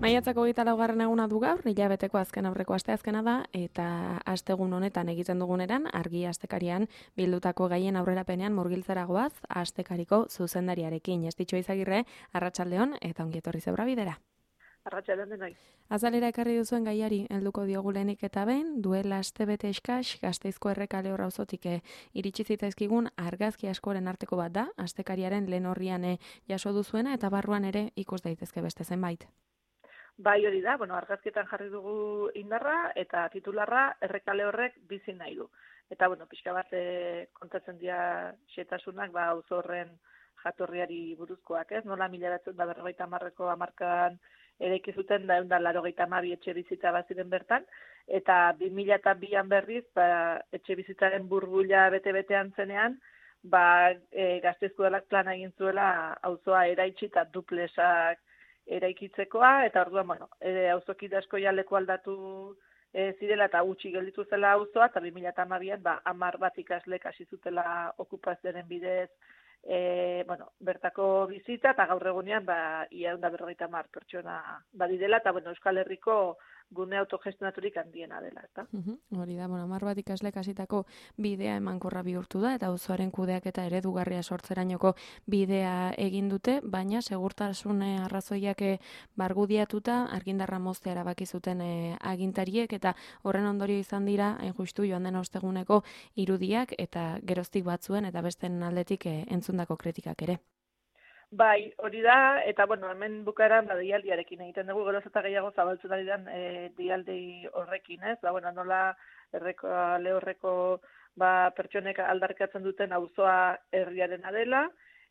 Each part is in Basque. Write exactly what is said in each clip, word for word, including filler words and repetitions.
Maiatzako hogeita laugarren eguna du gaur, hilabeteko azken aurreko asteazkena da, eta astegun honetan egiten duguneran, argi astekarian bildutako gaien aurrerapenean murgiltzera goaz, astekariko zuzendariarekin. Estitxo Izagirre, arratsaldeon eta ongi etorri zeura bidera. Arratsaldeon denoi. Azalera ekarri duzuen gaiari helduko diogu lehenik eta behin, duela astebete eskas, Gasteizko Errekale auzotik iritsi zitzaizkigun argazki askoren arteko bat da, astekariaren lehen horrian jaso duzuena eta barruan ere ikus daitezke beste zenbait. Bai, hori da, bueno, argazkietan jarri dugu indarra eta titularra Errekale horrek bizi nahi du. Eta, bueno, pixka bat e, kontatzen dira xetasunak, ba, auzo horren jatorriari buruzkoak, ez? Nola mila bederatziehun eta berrogeita hamarreko hamarkadan eraiki zuten da ehun eta laurogeita hamabi etxe bizitza baziren bertan, eta bi mila bian berriz, ba, etxe bizitzaren burbuila bete-betean zenean, ba, e, Gasteizko Udalak plana egin zuela auzoa eraitsi eta duplesak eraikitzekoa, eta orduan, bueno, e, auzokide asko ja leku aldatu e, zirela eta gutxi gelditu zela auzoa, eta bi mila hamabian, ba, hamar bat ikaslek hasi zutela okupazioaren bidez, e, bueno, bertako bizitza, eta gaur egunean, ba, ia ehun eta berrogeita hamar pertsona badirela, eta, bueno, Euskal Herriko gune autogestionaturik handiena dela, eta. Uhum, hori da, bueno, hamar bat ikaslek hasitako bidea emankorra bihurtu da, eta auzoaren kudeak eta eredugarria sortzerainoko bidea egin dute, baina segurtasun arrazoiak bargudiatuta argindarra moztea erabaki zuten e, agintariek, eta horren ondorio izan dira, hain justu joan den osteguneko irudiak, eta geroztik batzuen, eta besten aldetik e, entzundako kritikak ere. Bai, hori da, eta bueno, hemen bukaeran ba, deialdiarekin egiten dugu, geroz eta gehiago zabaltzen ari den e, deialdi horrekin, ez? Ba, bueno, nola Errekale horreko ba, pertsonek aldarrikatzen duten auzoa herriarena dela,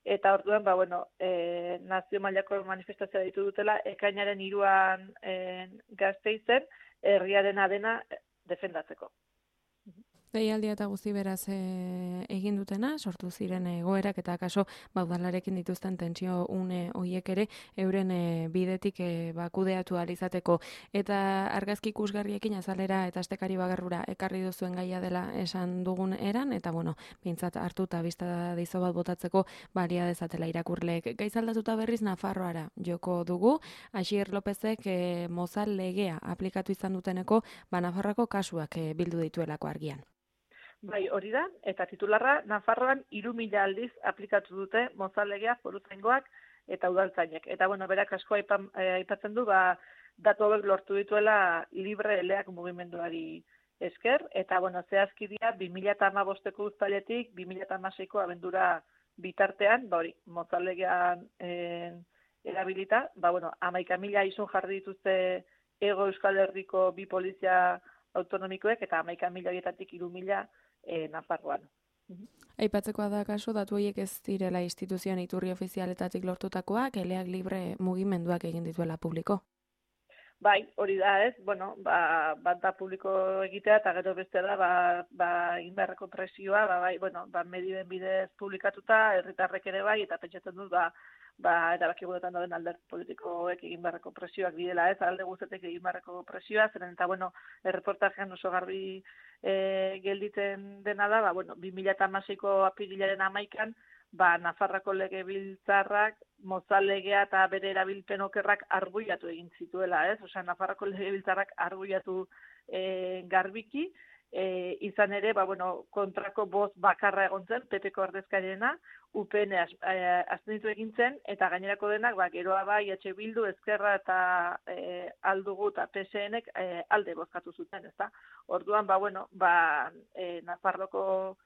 eta orduan, ba, bueno, e, nazio mailako manifestazioa ditu dutela, ekainaren hiruan e, Gasteizen herriarena dena defendatzeko. Deialdia eta guzti beraz e, egin dutena, sortu ziren egoerak eta kaso baudalarekin dituzten tentsio une hoiek ere euren e, bidetik e, bakudeatu alizateko. Eta argazki ikusgarriekin azalera eta astekari bagarrura ekarri duzuen gaia dela esan dugun eran, eta bueno, bintzat hartu eta bizta dizo bat botatzeko balia dezatela irakurleek. Gaizaldatuta berriz Nafarroara joko dugu, Asier Lopezek e, mozal legea aplikatu izan duteneko ba Nafarroako kasuak e, bildu dituelako argian. Bai, hori da, eta titularra, Nafarroan hiru mila aldiz aplikatu dute mozal-legea foruzaingoak eta udaltzainek. Eta, bueno, berak asko aipan, aipatzen du, ba, datu hauek lortu dituela libre eleak mugimenduari esker, eta, bueno, zehazki dira, bi mila hamabosteko uztailetik, bi mila hamaseiko abendura bitartean, ba, hori, mozal-legean eh, erabilita, ba, bueno, hamaika mila izun jarri dituzte Hego Euskal Herriko bi polizia autonomikoek, eta hamaika mila horietatik hiru mila E, Nafarroan. Aipatzekoa da kasu, datu horiek ez direla instituzioen iturri ofizialetatik lortutakoak, eleak libre mugimenduak egin dituela publiko. Bai, hori da ez, bueno, ba, bat da publiko egitea, eta gero beste da, ba, ba indarreko presioa, ba, bai, bueno, ba, medioen bidez publikatuta, herritarrek ere bai, eta pentsatzen dut, ba, ba, erabaki guretan dauden alderdi politikoek egin beharreko presioak bidela, ez, alde guztetek egin beharreko presioa, zeren eta, bueno, erreportajean oso garbi e, gelditzen dena da, ba, bueno, bi mila hamaseiko apirilaren hamaikan, ba, Nafarroako legebiltzarrak, mozal legea eta bere erabilpen okerrak arbuiatu egin zituela, ez? Osea, Nafarroako legebiltzarrak arbuiatu e, garbiki, E, izan ere, ba, bueno, kontrako boz bakarra egon zen, P Pko ordezkariena, U P N abstenitu egin zen, eta gainerako denak, ba, geroa bai, H Bildu, Ezkerra eta e, Aldugu eta P S Nek e, alde bozkatu zuten, ezta? Orduan, ba, bueno, ba, e, Nafarroko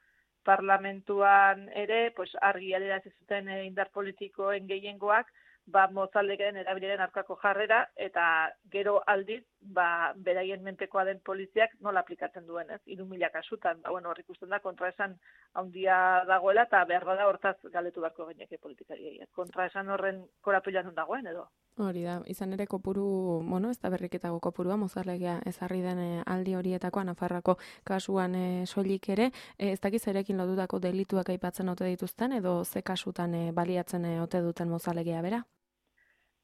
parlamentuan ere, pues, argi adierazi zuten e, indar politikoen gehiengoak, ba, mozaldekaren erabileren aurkako jarrera, eta gero aldiz, ba, beraien menpekoa den poliziak nola aplikatzen duen, ez? Hiru mila kasutan, ba, bueno, hor ikusten da, kontraesan handia dagoela, eta behar bada hortaz galdetu beharko gaineke politikariei. Kontraesan horren korapilan non dagoen, edo? Hori da, izan ere kopuru, bueno, ez da berriketago kopurua, mozarlegea ezarri den aldi horietakoa, Nafarroako kasuan e, soilik ere, e, ez dakiz erekin lotutako delituak aipatzen ote dituzten, edo ze kasutan e, baliatzen e, ote duten mozarlegea bera?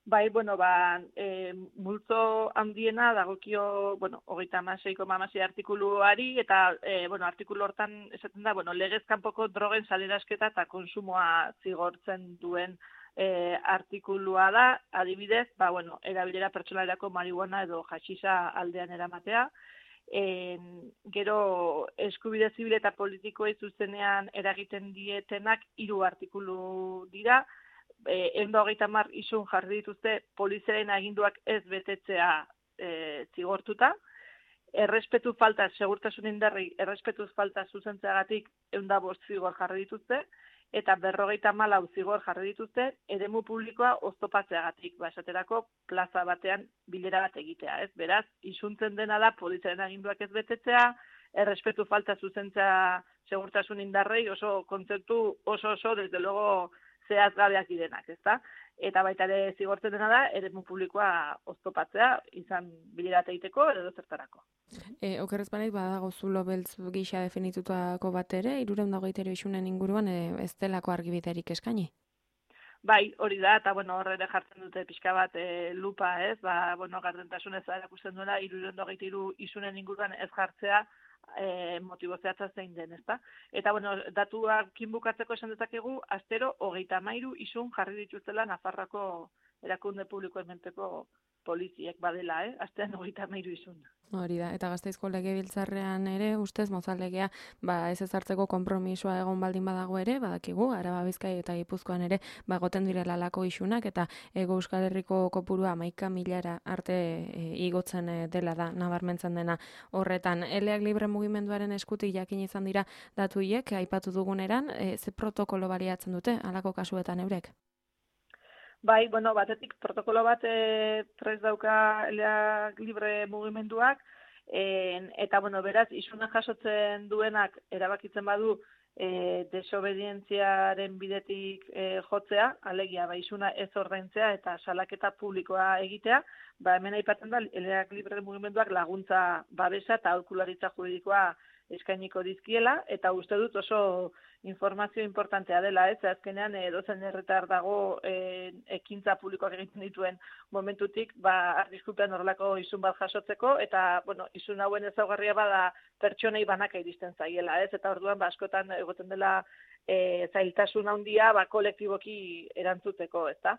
Bai, bueno, ba, e, multzo handiena dagokio, bueno, hogeita hamaseiko hamasei artikuluari, eta, e, bueno, artikulu hortan esaten da, bueno, legez kanpoko drogen salerasketa eta konsumoa zigortzen duen e, artikulua da, adibidez, ba, bueno, erabilera pertsonalerako marihuana edo haxixa aldean eramatea, e, gero eskubide zibil eta politikoei zuzenean eragiten dietenak hiru artikulu dira, e, ehun eta hogeita hamar isun jarri dituzte poliziaren aginduak ez betetzea e, zigortuta, errespetu falta, segurtasun indarri, errespetu falta zuzentzeagatik ehun eta bost zigor jarri dituzte, eta berrogeita hamalau zigor jarri dituzte, eremu publikoa oztopatzeagatik, ba, esaterako plaza batean bilera bat egitea, ez? Beraz, isuntzen dena da poliziaren aginduak ez betetzea, errespetu falta zuzentzea segurtasun indarrei, oso kontzeptu oso oso, desde luego, zehaz gabeak direnak, ezta? Eta baita ere zigortzen dena da, eremu publikoa oztopatzea, izan bilera egiteko edo zertarako. E, okerrez banaiz, badago zulo beltz gisa definitutako bat ere, hirurehun eta hogeita hiru isunen inguruan e, ez delako argibiderik eskaini? Bai, hori da, eta bueno, horre ere jartzen dute pixka bat e, lupa, ez? Ba, bueno, gardentasunez erakusten duela, hirurehun eta hogeita hiru isunen inguruan ez jartzea, E, motibo zehatza zein den, ezta? Eta, bueno, datuakin bukatzeko esan dezakegu, astero hogeita hamairu isun jarri dituztela Nafarroako erakunde publikoen menpeko poliziek badela, eh? Astean hogeita hamairu isun. Hori da, eta Gasteizko legebiltzarrean ere, ustez, mozaldegea, ba, ez ezartzeko konpromisoa egon baldin badago ere, badakigu, Araba, Bizkai eta Gipuzkoan ere, ba, goten direla lako isunak, eta Hego Euskal Herriko kopurua hamaika milara arte e, igotzen e, dela da, nabarmentzen dena horretan. Eleak libre mugimenduaren eskutik jakin izan dira datu hiek, aipatu duguneran, e, ze protokolo baliatzen dute, halako kasuetan eurek? Bai, bueno, batetik protokolo bat e, prest dauka eleak libre mugimenduak, e, eta, bueno, beraz, isuna jasotzen duenak erabakitzen badu e, desobedientziaren bidetik e, jotzea, alegia, ba, isuna ez ordaintzea eta salaketa publikoa egitea, ba, hemen aipatzen da, eleak libre mugimenduak laguntza babesa eta aholkularitza juridikoa eskainiko dizkiela, eta uste dut oso informazio importantea dela, ez? Azkenean, edozen herritar dago e, ekintza publikoak egiten dituen momentutik, ba, arriskupean horrelako isun bat jasotzeko, eta, bueno, isun hauen ezaugarria bada pertsonei banaka iristen zaiela, ez? Eta orduan, ba, askotan egoten dela e, zailtasun handia, ba, kolektiboki erantzuteko, ezta?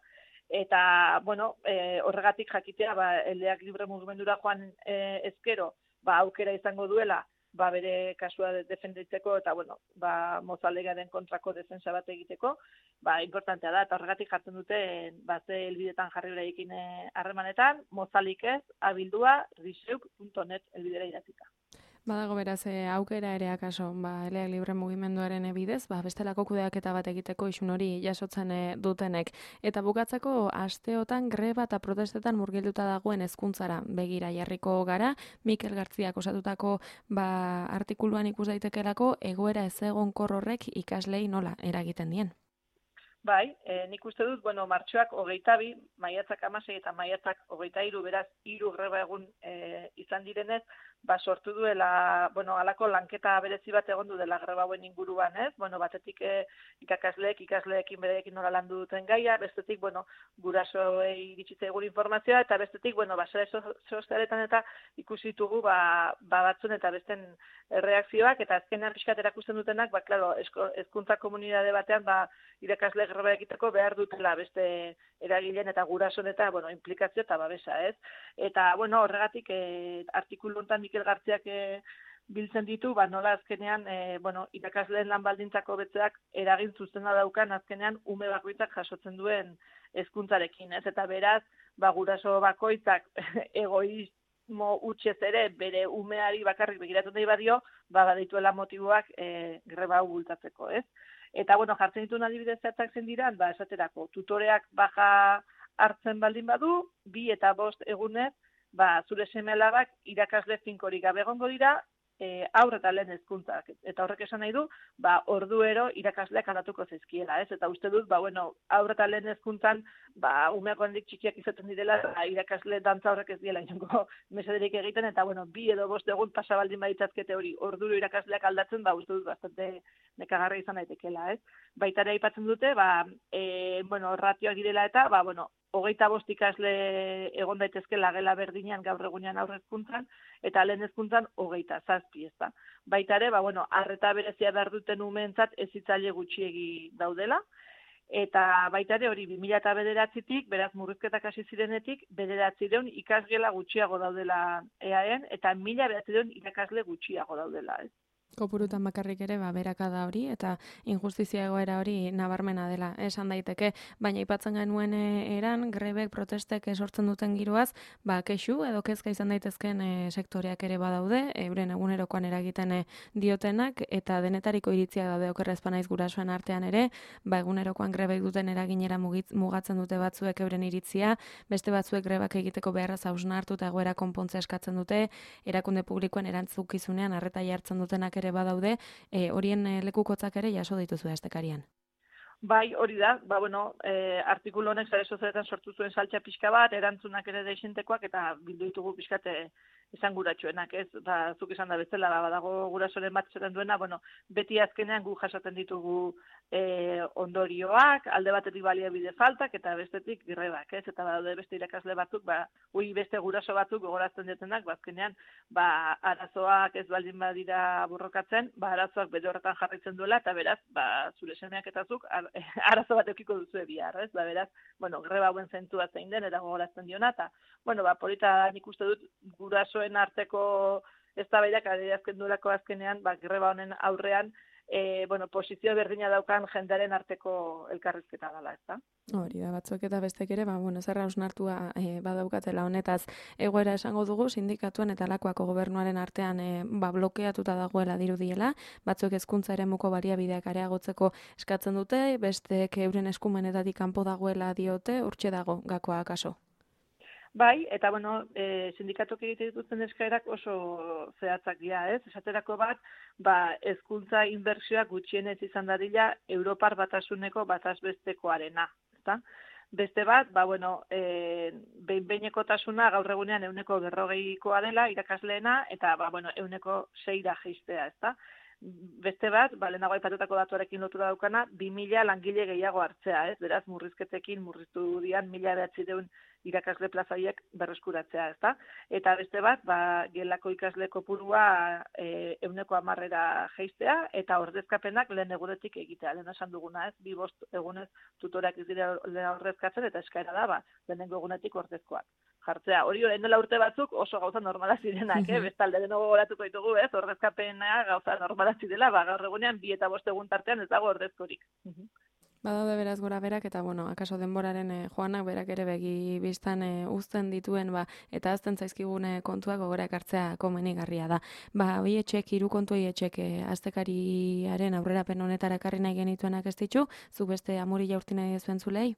Eta, bueno, e, horregatik jakitea, ba, eleak libre mugimendura joan e, ezkero, ba, aukera izango duela, ba, bere kasua defenditzeko eta, bueno, ba, mozaldegaren kontrako defensa bat egiteko, ba, importantea da, eta horregatik jartzen dute, ba, ze helbidetan jarri bereekin harremanetan, mozalik ez, abildua, riseuk puntu net helbidera idatzita. Badago beraz, e, aukera ere akaso, ba, eleak libre mugimenduaren bidez, ba, bestelako kudeaketa bat egiteko isun hori jasotzen e, dutenek. Eta bukatzeko, asteotan greba eta protestetan murgilduta dagoen hezkuntzara begira jarriko gara, Mikel Gartziak osatutako ba, artikuluan ikus daitekelako egoera ezegonkor horrek ikaslei nola eragiten dien. Bai, e, nik uste dut, bueno, martxoak hogeita bi, maiatzak hamasei eta maiatzak hogeita hiru, beraz, hiru greba egun e, izan direnez, ba, sortu duela, bueno, halako lanketa berezi bat egon du dela greba hauen inguruan, ez? Bueno, batetik e, ikakasleek, ikasleekin bereekin nola landu duten gaia, bestetik, bueno, gurasoei iritsitza egun informazioa, eta bestetik, bueno, ba, sare sozialetan eta ikusi ditugu, ba, ba batzun eta besten erreakzioak, eta azkenean pixkat erakusten dutenak, ba, klaro, hezkuntza komunitate batean, ba, irakasle greba egiteko behar dutela beste eragileen eta gurason eta, bueno, implikazio eta babesa, ez? Eta, bueno, horregatik, e, artikulu honetan Mikel Gartziak e, biltzen ditu, ba, nola azkenean, e, bueno, irakasleen lan baldintzako betzeak eragin zuzena daukan azkenean ume bakoitzak jasotzen duen hezkuntzarekin, ez? Eta beraz, ba, guraso bakoitzak egoismo utxez ere bere umeari bakarrik begiratu nahi badio, ba, badituela motiboak e, greba hau bultatzeko, ez? Eta, bueno, jartzen dituen adibidez zertak zen diran, ba, esaterako, tutoreak baja hartzen baldin badu, bi eta bost egunez, ba, zure seme-alabak irakasle finkorik gabe egongo dira, e, aur eta lehen hezkuntzak. Eta horrek esan nahi du, ba, orduero irakasleak aldatuko zaizkiela, ez? Eta uste dut, ba, bueno, aur eta lehen hezkuntzan, ba, umeak handik txikiak izaten direla, ba, irakasle dantza horrek ez diela inongo mesederik egiten, eta, bueno, bi edo bost egun pasa baldin baditzazkete hori orduro irakasleak aldatzen, ba, uste dut, bastante nekagarra izan daitekela, ez? Baita ere aipatzen dute, ba, e, bueno, ratioak direla eta, ba, bueno, hogeita bost ikasle egon daitezke lagela berdinean gaur egunean aurre hezkuntzan, eta lehen hezkuntzan hogeita zazpi, ez da. Baita ere, ba, bueno, arreta berezia behar duten umeentzat ez hitzaile gutxiegi daudela, Eta baita ere hori bi mila bederatzitik, beraz murrizketak hasi zirenetik, bederatziehun ikasgela gutxiago daudela E A E'n, eta mila bederatziehun irakasle gutxiago daudela, ez? Kopurutan bakarrik ere, ba, berakada hori, eta injustizia egoera hori nabarmena dela, esan daiteke, baina aipatzen genuen eran, grebek, protestek sortzen duten giroaz, ba, kexu edo kezka izan daitezken e, sektoreak ere badaude, euren egunerokoan eragiten e, diotenak, eta denetariko iritzia daude okerrezpa naiz gurasoen artean ere, ba, egunerokoan grebek duten eraginera mugitz, mugatzen dute batzuek euren iritzia, beste batzuek grebak egiteko beharraz hausnartu eta egoera konpontza eskatzen dute, erakunde publikoen erantzukizunean arreta jartzen dutenak ere badaude, e, horien e, lekukotzak ere jaso dituzu estekarian. Bai, hori da, ba, bueno, e, artikulu honek sare sozialetan sortu zuen saltxa pixka bat, erantzunak ere deixentekoak, eta bildu ditugu pixkate izan guratxoenak, ez? Ba, zuk izan da bezala, ba, badago gurasoren bat zaten duena, bueno, beti azkenean gu jasaten ditugu e, ondorioak, alde batetik baliabide faltak, eta bestetik grebak, ez? Eta badaude beste irakasle batzuk, ba, ui beste guraso batzuk gogorazten diotenak, ba, azkenean, ba, arazoak ez baldin badira burrokatzen, ba, arazoak bere horretan jarraitzen duela, eta beraz, ba, zure semeak eta zuk, ar, arazo bat eukiko duzu bihar, ez? Ba, beraz, bueno, greba hauen zentua zein den, eta gogorazten diona, eta, bueno, ba, polita nik uste dut gurasoen arteko eztabaidak adierazten duelako azkenean, ba, greba honen aurrean, e, bueno, posizio berdina daukan jendearen arteko elkarrizketa dela, ezta? Hori da, batzuek eta bestek ere, ba, bueno, zerra hausnartua e, badaukatela honetaz egoera esango dugu, sindikatuen eta lakoako gobernuaren artean e, ba, blokeatuta dagoela dirudiela, batzuek hezkuntza eremuko baliabideak areagotzeko eskatzen dute, bestek euren eskumenetatik kanpo dagoela diote, urtxe dago gakoa akaso. Bai, eta bueno, e, sindikatok egite dituzten eskaerak oso zehatzak dira, ez? Esaterako bat, ba, hezkuntza inbertsioak gutxienez izan dadila Europar batasuneko batazbestekoarena, ezta? Beste bat, ba, bueno, e, behin-behinekotasuna gaur egunean euneko berrogeikoa dela irakasleena, eta, ba, bueno, euneko seira jeistea, ezta? Beste bat, ba, lehenago aipatutako datuarekin lotura daukana, bi mila langile gehiago hartzea, ez? Beraz, murrizketekin murriztu dian mila behatziehun irakasle plazaiek berreskuratzea, ezta? Eta beste bat, ba, gelako ikasle kopurua e, euneko hamarrera jeistea, eta ordezkapenak lehen egunetik egitea. Lehen esan duguna, ez? Bi bost egunez tutorak ez dira ordezkatzen, eta eskaera da, ba, lehenengo egunetik ordezkoak jartzea. Hori orain dela urte batzuk oso gauza normala zirenak, eh? Bestalde denogo goratuko ditugu, ez? Ordezkapena gauza normala zirela, ba, gaur egunean bi eta bost egun tartean ez dago ordezkorik. Badaude beraz gora berak, eta bueno, akaso denboraren eh, joanak berak ere begi biztan eh, uzten dituen, ba, eta azten zaizkigune kontuak gogora ekartzea komenigarria da. Ba, hoi etxek, hiru kontu hoi etxek eh, aztekariaren aurrerapen honetara ekarri nahi genituenak ez ditu, zu beste amuri jaurti nahi zuen zulei?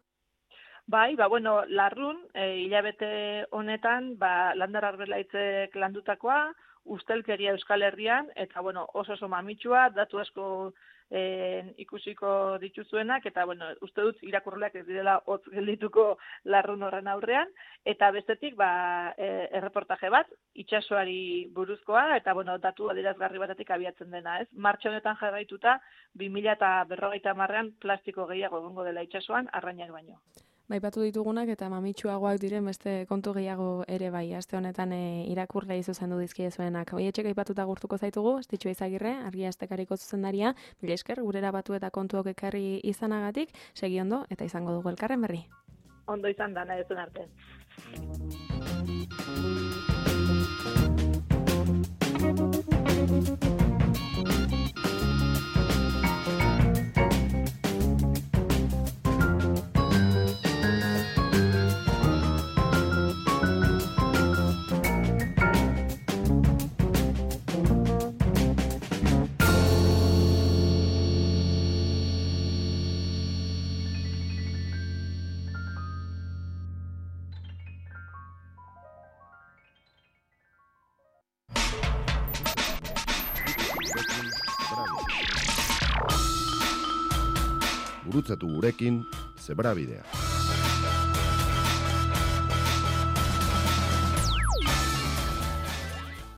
Bai, ba, bueno, larrun, e, hilabete honetan, ba, Landar Arbelaitzek landutakoa, ustelkeria Euskal Herrian, eta, bueno, oso oso mamitsua, datu asko e, ikusiko dituzuenak, eta, bueno, uste dut irakurleak ez direla hotz geldituko larrun horren aurrean, eta bestetik, ba, e, erreportaje bat, itsasoari buruzkoa, eta, bueno, datu adierazgarri batetik abiatzen dena, ez? Martxa honetan jarraituta, bi mila berrogeita hamarrean plastiko gehiago egongo dela itsasoan, arrainak baino. Baipatu ditugunak eta mamitsuagoak diren beste kontu gehiago ere bai, aste honetan e, irakurlei zuzendu dizkiezuenak. Hoi etxek aipatuta gurtuko zaitugu, Estitxu Izagirre, Argia Astekariko zuzendaria, mila esker, gurera batu eta kontuok ekarri izanagatik, segi ondo eta izango dugu elkarren berri. Ondo izan da, nahi duzun arte. Gurutzatu gurekin, Zebrabidea.